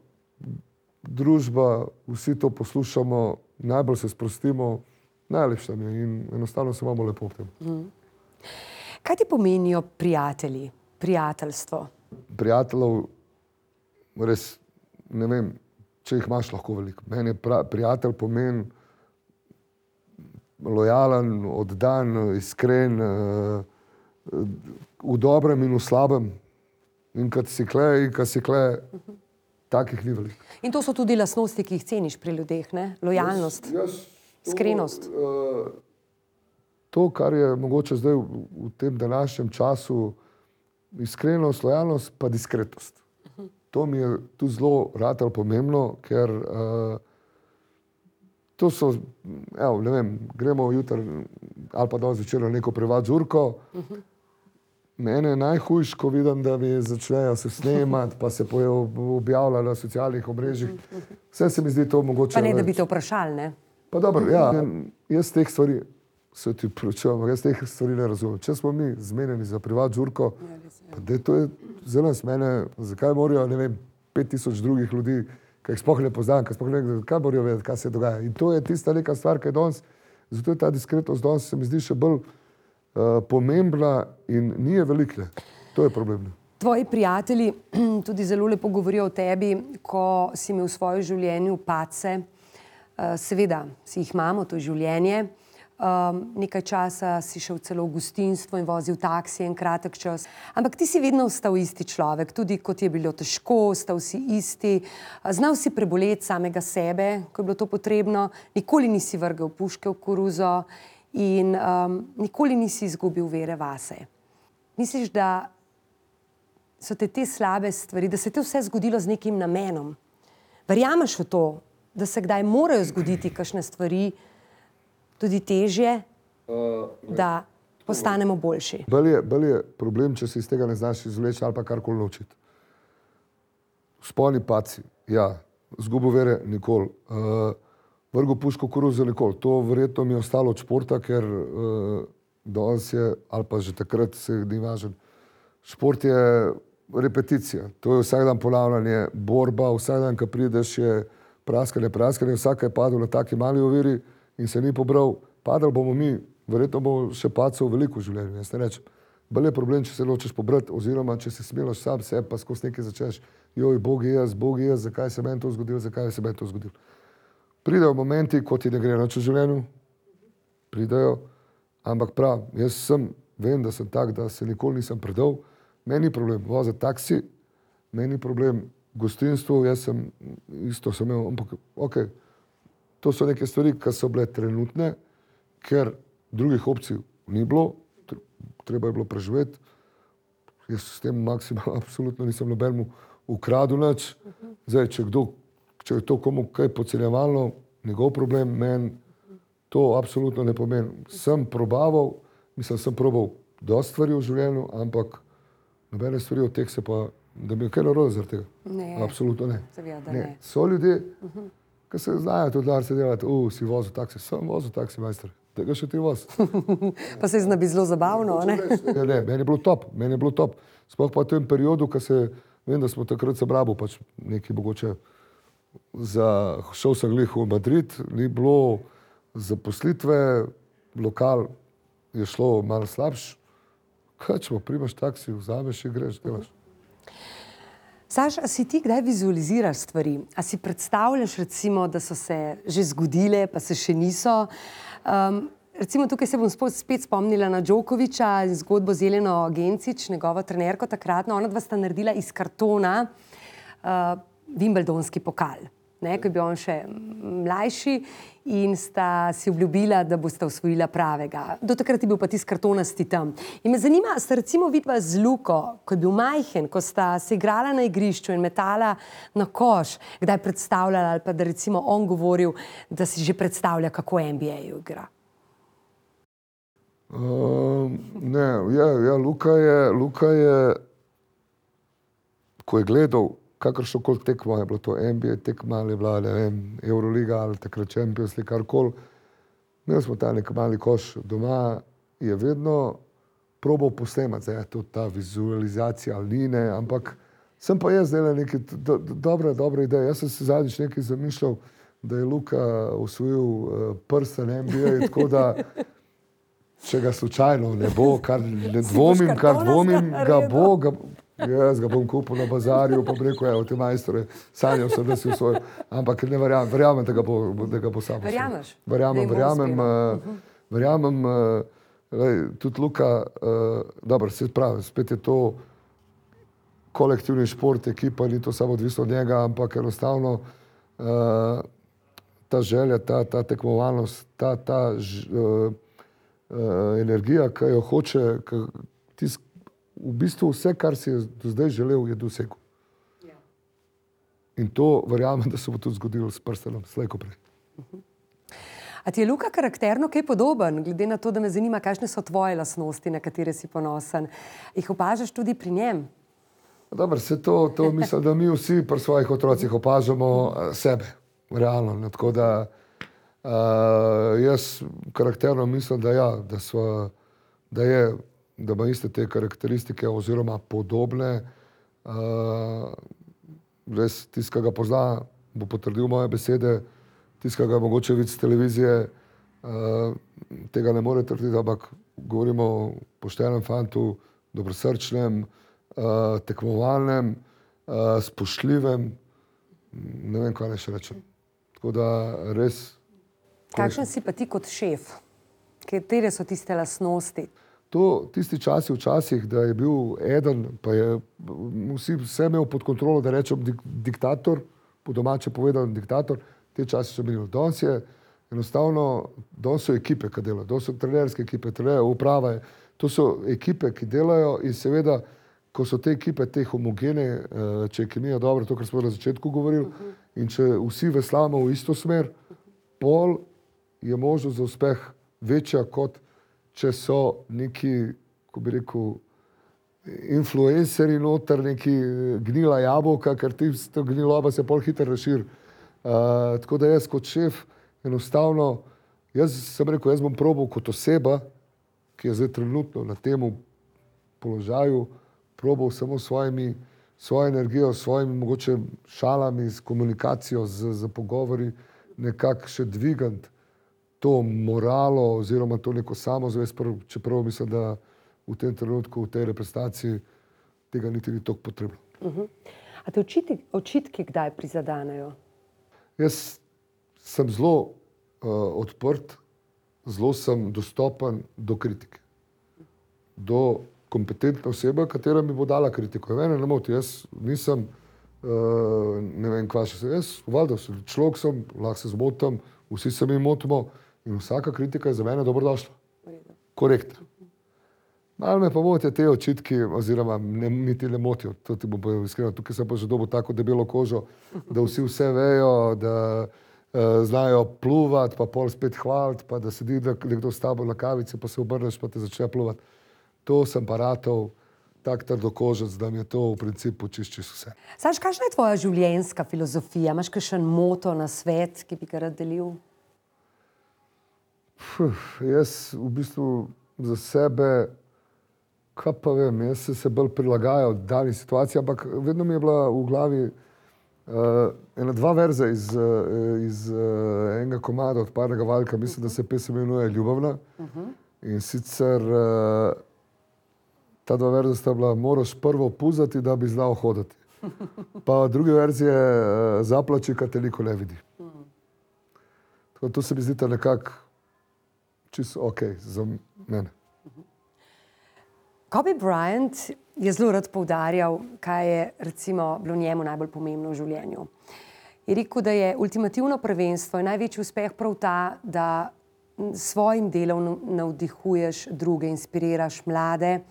družba, vsi to poslušamo, najbolj se sprostimo, najlepše mi je in enostavno se imamo lepo v tem. Kaj ti pomenijo prijatelji, prijateljstvo? Prijateljev, res, ne vem, če jih imaš lahko veliko. Meni prijatelj pomeni lojalen, oddan, iskren, v dobrem in v slabem. In kad si kle, takih ni veliko. In to so tudi lastnosti, ki jih ceniš pri ljudeh, ne? Lojalnost, iskrenost. To, kar je mogoče zdaj v tem današnjem času, iskrenost, lojalnost pa diskretnost. To mi je tu zelo ratalo pomembno, ker to so, ne vem, gremo jutri ali pa danes zvečer na neko privat žurko. Mene je najhujš, ko vidim, da mi začnejo se snemati, pa se objavlja na socialnih omrežjih. Vse se mi zdi to mogoče... Pa ne, da bi te vprašali, ne? Pa dobro, ja, jaz teh stvari se ti prečujem, jaz teh stvari ne razumem. Če smo mi zmenjeni za privat žurko, pa to je za nas mene, zakaj morajo, ne vem, 5000 drugih ljudi, ki jih sploh ne poznam, ki sploh ne vem, kaj morajo vedeti, kaj se dogaja. In to je tista neka stvar, ki je danes, zato je ta diskretnost danes se mi zdi še bolj pomembna in ni je veliko. To je problem. Tvoji prijatelji tudi zelo lepo govorijo o tebi, ko si imel v svojem življenju padce. Seveda si jih imamo, to je življenje. Nekaj časa si šel celo v gostinstvo in vozil taksi en kratek čas. Ampak ti si vedno ostal isti človek, tudi kot je bilo težko, ostal si isti. Znal si preboleti samega sebe, ko je bilo to potrebno. Nikoli nisi vrgel puške v koruzo in nikoli nisi izgubil vere vase. Misliš, da so te slabe stvari, da se te vse zgodilo z nekim namenom? Verjameš v to, da se kdaj morajo zgoditi kakšne stvari, tudi težje, da postanemo boljši? Bolj je problem, če se iz tega ne znaš izvleči ali pa karkoli naučiti. Spolni padci, ja, izgubo vere nikoli. Vrgel puško koruzo nikoli. To verjetno mi je ostalo od športa, ker danes je, ali pa že takrat se ni važen. Šport je repeticija, to je vsak dan ponavljanje, borba, vsak dan, ko prideš, je praskanje, vsak je padel na taki mali oviri in se ni pobral. Padali bomo mi, verjetno bomo še padcev veliko v življenju, jaz ne rečem. Bolj je problem, če se nočeš pobrati, oziroma če si smiloš sam sebe, pa skozi nekaj začneš, joj, Bog je jaz, zakaj se meni to zgodilo. Pridejo momenti, ko ti ne gre nič v življenju, pridejo, ampak prav, jaz vem, da sem tak, da se nikoli nisem predal. Meni ni problem voziti taksi, meni ni problem gostinstvo, jaz sem isto sem imel, ampak ok, to so neke stvari, ki so bile trenutne, ker drugih opcij ni bilo, treba je bilo preživeti. Jaz s tem maksimalno absolutno nisem nobenemu ukradel nič. Zdaj, če je to komu kaj podcenjevalno, njegov problem, meni to absolutno ne pomeni. Sem probaval dosti stvari v življenju, ampak nobene stvari od teh se pa, da bi kaj narobe zaradi tega. Ne. Absolutno ne. Seveda ne. So ljudje, ki se znajo tudi dar se delati, si vozil taksi, sem vozil taksi, majster. Tega še ti voz. Pa se zna biti zelo zabavno, ne? Ne, meni je bilo top. Sploh pa v tem periodu, ko vem, da smo takrat se brabo, pač nekaj mogoče šel sem glih v Madrid, ni bilo zaposlitve, lokal je šlo malo slabš. Kaj če primaš taksi, vzameš in greš, delaš. Saš, a si ti kdaj vizualiziraš stvari? A si predstavljaš recimo, da so se že zgodile, pa se še niso? Recimo tukaj se bom spet spomnila na Djokoviča in zgodbo z Jeleno Gencic, njegovo trenerko takratno. Ona dva sta naredila iz kartona Wimbledonski pokal, ne, ko je bil on še mlajši in sta si obljubila, da bosta osvojila pravega. Do takrat je bil pa tisti kartonasti tam. In me zanima, sta recimo vidva z Luko, ko je bil majhen, ko sta se igrala na igrišču in metala na koš, kdaj predstavljala ali pa da recimo on govoril, da si že predstavlja, kako NBA igra? Ne, ja, Luka je, ko je gledal kakršnokoli tekmo, je bilo to NBA tekma ali je bila, ne vem, Euroliga ali takrat Champions League, karkoli. Imeli smo ta nek mali koš doma, je vedno probal posnemati, zdaj je to ta vizualizacija ali ni, ne, ampak sem pa jaz delal neke dobre ideje. Jaz sem se zadnjič nekaj zamišljal, da je Luka osvojil prsten NBA, tako da če ga slučajno ne bo, kar dvomim, ga bo, jaz ga bom kupil na bazarju, pa bi rekel, te majstore, sanjal sem, da si osvojil, ampak ne verjamem, da ga bo sam. Verjameš? Verjamem, tudi Luka, dobro, se pravi, spet je to kolektivni šport, ekipa, ni to samo odvisno od njega, ampak enostavno ta želja, ta tekmovalnost, ta energija, ki jo hoče, v bistvu vse, kar si je do zdaj želel, je dosegel. In to verjamem, da se bo tudi zgodilo s prstenom, slej ko prej. A ti je Luka karakterno kaj podoben, glede na to, da me zanima, kakšne so tvoje lastnosti, na katere si ponosen? Jih opažaš tudi pri njem? Dobro, to mislim, da mi vsi pri svojih otrocih opažamo sebe, realno. Tako da Jaz karakterno mislim, da ja, da ima iste te karakteristike oziroma podobne. Res, tisti, ki ga pozna, bo potrdil moje besede, tisti, ki ga mogoče vidi z televizije, tega ne more trditi, ampak govorimo o poštenem fantu, dobrosrčnem, tekmovalnem, spoštljivem, ne vem, kaj naj še rečem. Tako da res. Kakšen si pa ti kot šef? Katere so tiste lastnosti? Tisti časi včasih, da je bil eden, pa je vse imel pod kontrolo, da rečem diktator, po domače povedano diktator, te časi so bili. Danes je enostavno, danes so ekipe, ki delajo, danes so trenerske ekipe, uprava je, to so ekipe, ki delajo in seveda, ko so te ekipe, te homogene, če je kemija dobra, to, kar smo na začetku govorili, in če vsi veslamo v isto smer, pol je možnost za uspeh večja, kot če so neki, ko bi rekel, influencerji noter, neki gnila jabolka, ker tisto gniloba se pol hitro razširi. Tako da jaz kot šef enostavno, jaz sem rekel, jaz bom probal kot oseba, ki je zdaj trenutno na temu položaju, probal samo svojo energijo, svojimi mogoče šalami, s komunikacijo, z pogovori, nekako še dvigant to moralo oziroma to neko samozavest, čeprav mislim, da v tem trenutku, v tej reprezentaciji tega niti ni toliko potrebno. A te očitki kdaj prizadanejo? Jaz sem zelo odprt, zelo sem dostopen do kritike. Do kompetentne osebe, katera mi bo dala kritiko. Mene ne moti, jaz nisem, ne vem, kva še se, jaz valjda človek sem, lahko se zmotim, vsi se mi motimo in vsaka kritika je za mene dobrodošla. Korektna. Malo me pa motijo te očitki, oziroma mi ti ne motijo, to ti bom povedal iskreno, tukaj sem pa že dobil tako debelo kožo, da vsi vse vejo, da znajo pluvati, pa pol spet hvaliti, pa da sedi nekdo s tabo na kavici, pa se obrneš, pa te začne pluvati. To sem pa ratov tak trdokožec, da mi je to v principu čisto vse. Saš, kakšna je tvoja življenjska filozofija? Imaš kakšen moto, nasvet, ki bi ga rad delil? Jaz v bistvu za sebe, kaj pa vem, jaz se bolj prilagajal dani situaciji, ampak vedno mi je bila v glavi ena dva verza iz enega komada od Parnega Valjka, mislim, da se pesem imenuje Ljubavna. In sicer ta dva verza sta bila, moraš prvo puzati, da bi znal hoditi. Pa druge verzije, zaplači, kad te niko ne vidi. Tako to se mi zdi nekako čisto okej za mene. Kobe Bryant je zelo rad poudarjal, kaj je recimo bilo njemu najbolj pomembno v življenju. Je rekel, da je ultimativno prvenstvo in največji uspeh prav ta, da s svojim delom navdihuješ druge, inspiriraš mlade,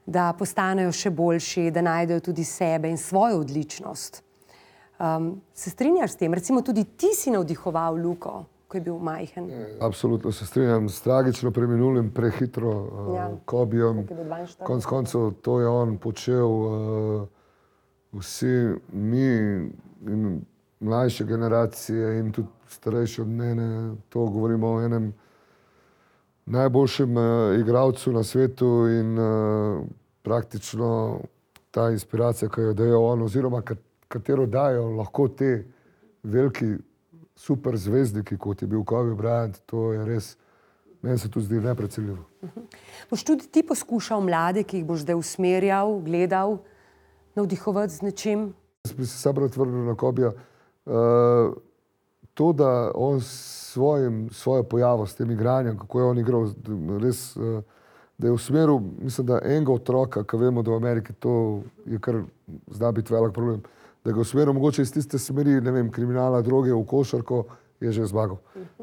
da postanejo še boljši, da najdejo tudi sebe in svojo odličnost. Se strinjaš s tem? Recimo tudi ti si navdihoval Luko, ko je bil majhen. Absolutno se strinjam s tragično preminulim, prehitro Kobijem. Konec koncev to je on počel, vsi mi in mlajše generacije in tudi starejši od mene, to govorimo o enem najboljšem igralcu na svetu in praktično ta inspiracija, ki jo dajo on, oziroma katero dajo lahko te veliki super zvezdniki, kot je bil Kobe Bryant, to je res, meni se to zdi neprecenljivo. Boš tudi ti poskušal mlade, ki jih boš zdaj usmerjal, gledal, navdihovati z nečim? Jaz bi se sam rad vrnil na Kobija. To, da on svojo pojavo s tem igranjem, kako je on igral, res, da je usmeril, mislim, da enega otroka, ki vemo, da v Ameriki to je kar zna biti velik problem, da ga usmeril mogoče iz tiste smeri, ne vem, kriminala, droge v košarko, je že zmagal.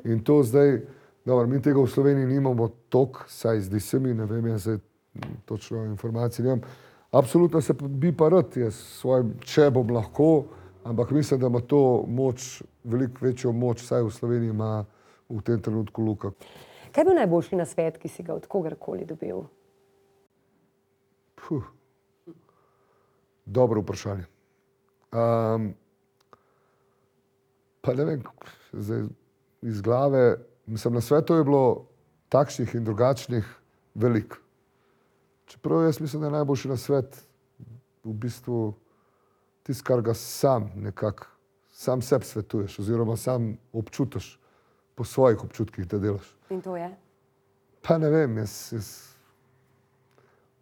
In to zdaj, dobro, mi tega v Sloveniji nimamo toliko, saj zdi se mi, ne vem, jaz točno informacije nimam. Absolutno se bi pa rad, jaz svojim, če bom lahko, ampak mislim, da ima to moč, veliko večjo moč, saj v Sloveniji ima v tem trenutku Luka. Kaj je bil najboljši nasvet, ki si ga od kogarkoli dobil? Dobro vprašanje. Pa ne vem, zdaj iz glave, mislim, na svetu je bilo takšnih in drugačnih veliko. Čeprav jaz mislim, da je najboljši na svet v bistvu tisto, kar ga sam sebi svetuješ oziroma sam občutiš po svojih občutkih, da delaš. In to je? Pa ne vem,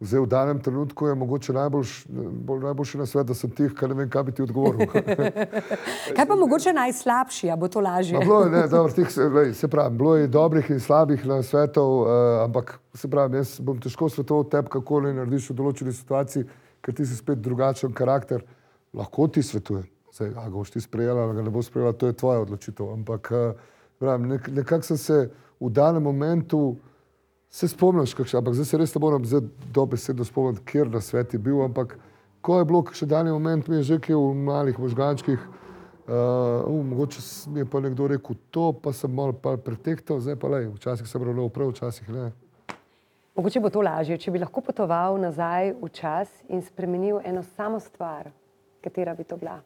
zdaj v danem trenutku je mogoče najboljši na svet, da sem tih, kar ne vem, kaj bi ti odgovoril. Kaj pa mogoče najslabši, a bo to lažje? Se pravi, bilo je dobrih in slabih na svetov, ampak se pravi, jaz bom težko svetoval tebi, kako ne narediš v določeni situaciji, ker ti si spet drugačen karakter. Lahko ti svetujem. Zdaj, a ga boš ti sprejela, ali ga ne bo sprejela, to je tvoja odločitev. Ampak nekako sem se v danem momentu se spomniš, ampak zdaj se res ne moram dobesedno spomniti, kjer na svet je bil, ampak ko je bilo še dani moment, mi je že kaj v malih možgančkih, mogoče mi je pa nekdo rekel to, pa sem malo pretehtal, zdaj pa lej, včasih sem ravnal prav, včasih ne. Mogoče bo to lažje, če bi lahko potoval nazaj v čas in spremenil eno samo stvar, katera bi to bila?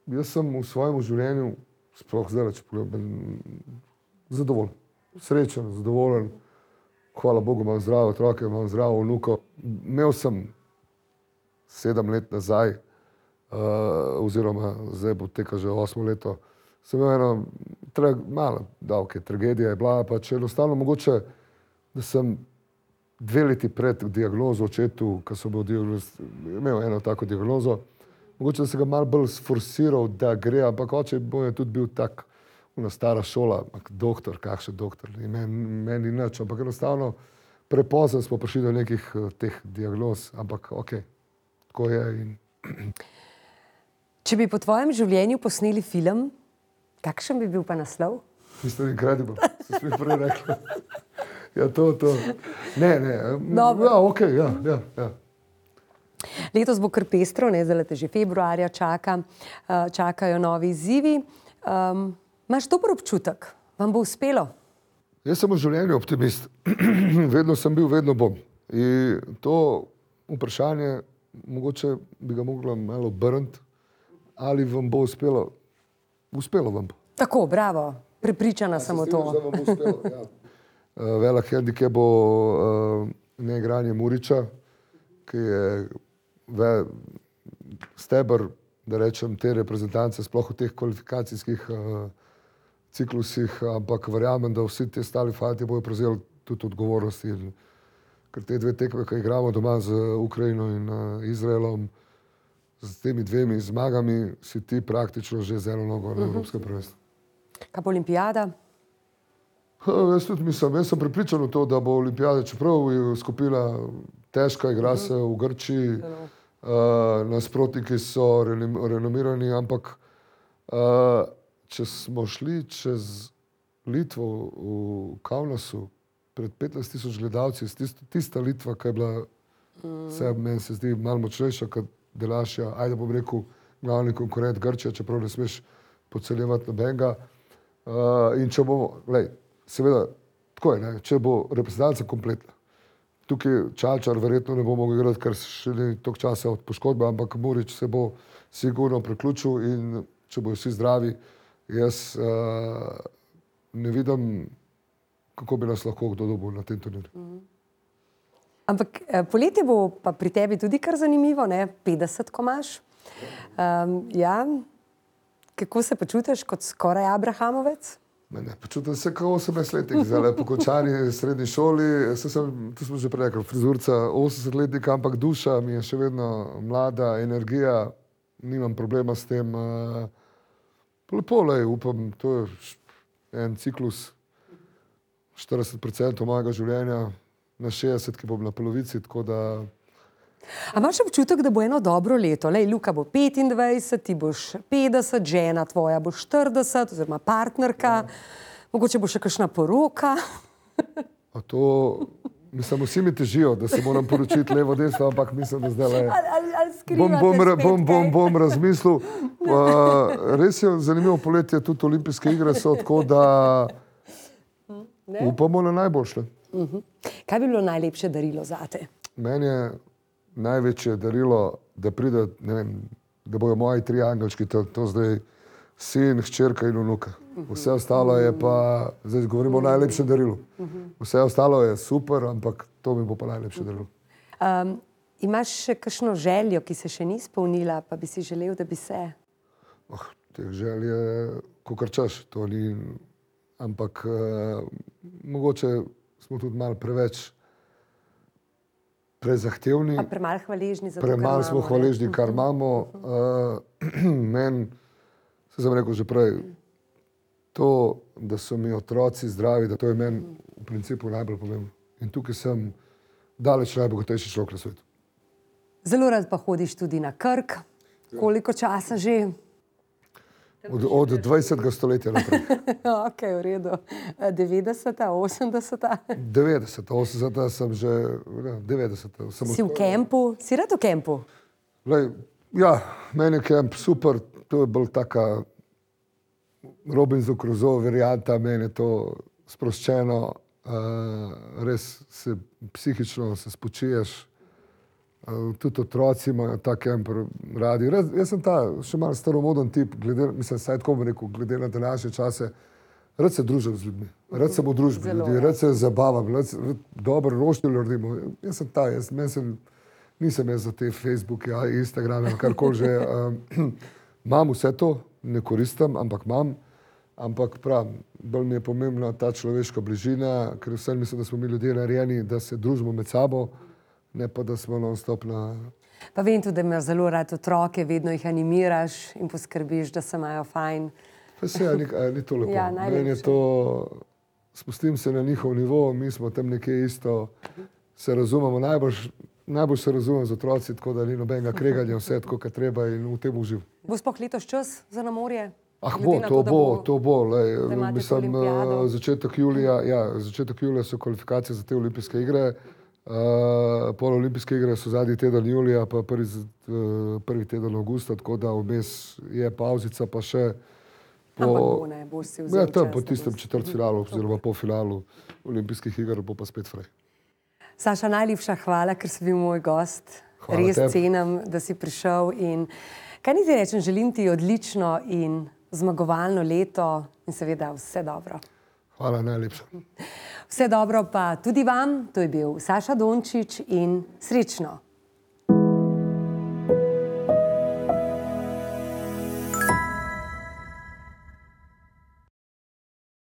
Jaz sem v svojem življenju, sploh zdaj, če pogledam, zadovoljen, srečen, zadovoljen. Hvala Bogu, imam zdrave otroke, imam zdravo vnuko. Imel sem 7 let nazaj, oziroma zdaj bo teka že 8 leto, sem imel eno malo davke, tragedija je bila, pa če enostavno mogoče, da sem 2 leti pred diagnozo očetu, ko sem imel eno tako diagnozo, mogoče da sem ga malo bolj sforsiral, da gre, ampak oče je tudi bil tak, una stara šola, doktor, kakšen doktor, meni nič, ampak enostavno prepozno smo prišli do nekih teh diagnoz, ampak okej, tako je. Če bi po tvojem življenju posneli film, kakšen bi bil pa naslov? Mr. Incredible, se mi prej rekla. Ja, to. Ne, ja, okej, ja. Letos bo kar pestro, zdaj te že februarja čakajo novi izzivi. Imaš dober občutek? Vam bo uspelo? Jaz sem v življenju optimist. Vedno sem bil, vedno bom. In to vprašanje, mogoče bi ga mogla malo obrniti, ali vam bo uspelo. Uspelo vam bo. Tako, bravo. Prepričana sem o to. Da vam bo uspelo, ja. Velik hendikep bo neigranje Muriča, ki je steber, da rečem, te reprezentance, sploh v teh kvalifikacijskih ciklusih, ampak verjamem, da vsi ti ostali fanti bojo prevzeli tudi odgovornosti. Ker te 2 tekme, ki igramo doma z Ukrajino in Izraelom, z temi 2 zmagami, si ti praktično že z eno nogo na evropskem prvenstvu. Kaj pa olimpijada? Jaz tudi mislim, jaz sem prepričan v to, da bo olimpijada, čeprav je skupina težka, igra se v Grčiji, nasprotniki so renomirani, ampak če smo šli čez Litvo v Kaunasu pred 15,000 gledalci, tista Litva, ki je bila, meni se zdi malo močnejša kot Delašja, ajde bom rekel, glavni konkurent Grčija, čeprav ne smeš podcenjevati nobenega. In če bomo, seveda, tako je, če bo reprezentanca kompletna. Tukaj Čalčar verjetno ne bo mogel igrati, ker še ni toliko časa od poškodbe, ampak Murič se bo sigurno priključil in če bojo vsi zdravi, jaz ne vidim, kako bi nas lahko kdo dobil na tem turnirju. Ampak poletje bo pa pri tebi tudi kar zanimivo, 50 ko imaš. Ja, kako se počutiš kot skoraj Abrahamovec? Počutim se kot 18-letnik, zdaj po končani srednji šoli, tu smo že prej rekli, frizurca 80-letnika, ampak duša mi je še vedno mlada, energija, nimam problema s tem. Lepo, upam, to je en ciklus 40% mojega življenja, na 60, ki bom na polovici, tako da... A imaš občutek, da bo eno dobro leto? Luka bo 25, ti boš 50, žena tvoja bo 40, oziroma partnerka, mogoče bo še kakšna poroka. A to, mislim, vsi mi težijo, da se moram poročiti levo, desno, ampak mislim, da zdaj Ali skrivate spet bom razmislil. Res je zanimivo poletje, tudi olimpijske igre so, tako da upamo na najboljše. Kaj bi bilo najlepše darilo zate? Meni je največje darilo, da pride, ne vem, da bojo moji 3 angelčki, to zdaj sin, hčerka in vnuka. Vse ostalo je pa, zdaj govorimo o najlepšem darilu. Vse ostalo je super, ampak to mi bo pa najlepše darilo. Imaš še kakšno željo, ki se še ni izpolnila, pa bi si želel, da bi se? Teh želj je kakor češ, to ni, ampak mogoče smo tudi malo preveč prezahtevni. Pa premalo hvaležni za to, kar imamo. Premalo smo hvaležni, kar imamo. Meni, se sem rekel že prej, to, da so mi otroci zdravi, da to je meni v principu najbolj pomembno. In tukaj sem daleč najbogatejši človek na svetu. Zelo rad pa hodiš tudi na Krk. Koliko časa že? Od 20. stoletja naprej. Ok, v redu. 90., 80. 90., 80. sem že, 90. Si v kempu? Si rad v kempu? Ja, meni je kemp super, to je bolj taka Robinson Crusoe varianta, meni je to sproščeno, res se psihično se spočiješ, tudi otroci imajo ta kemp radi. Jaz sem ta še malo staromoden tip, mislim, saj tako bom rekel, glede na današnje čase, rad se družim z ljudmi, rad sem v družbi ljudi, rad se zabavam, rad dobro roštilj naredimo. Jaz sem ta, nisem jaz za te Facebooke, Instagrame, karkoli že. Imam vse to, ne koristim, ampak imam. Ampak pravim, bolj mi je pomembna ta človeška bližina, ker vsem mislim, da smo mi ljudje narejeni, da se družimo med sabo, ne pa da smo non-stop na... Pa vem tudi, da imaš zelo rad otroke, vedno jih animiraš in poskrbiš, da se imajo fajn. Pa se ni to lepo. Ja, meni je to, spustim se na njihov nivo, mi smo tam nekje isto, se razumemo, najbolj se razumem z otroci, tako da ni nobenega kreganja, vse tako, kar treba in v tem uživ. Bo sploh letos čas za na morje? To bo. Mislim, začetek julija so kvalifikacije za te olimpijske igre. Pol olimpijske igre so zadnji teden julija, pa prvi teden avgusta, tako da vmes je pauzica, pa še boš si vzel čas. Tam po tistem četrtfinalu oziroma polfinalu olimpijskih iger bo pa spet fraj. Saša, najlepša hvala, ker si bil moj gost. Hvala res tebi. cenim, da si prišel in kaj naj ti rečem, želim ti odlično in zmagovalno leto in seveda vse dobro. Hvala, najlepša. Vse dobro pa tudi vam, to je bil Saša Dončić in srečno!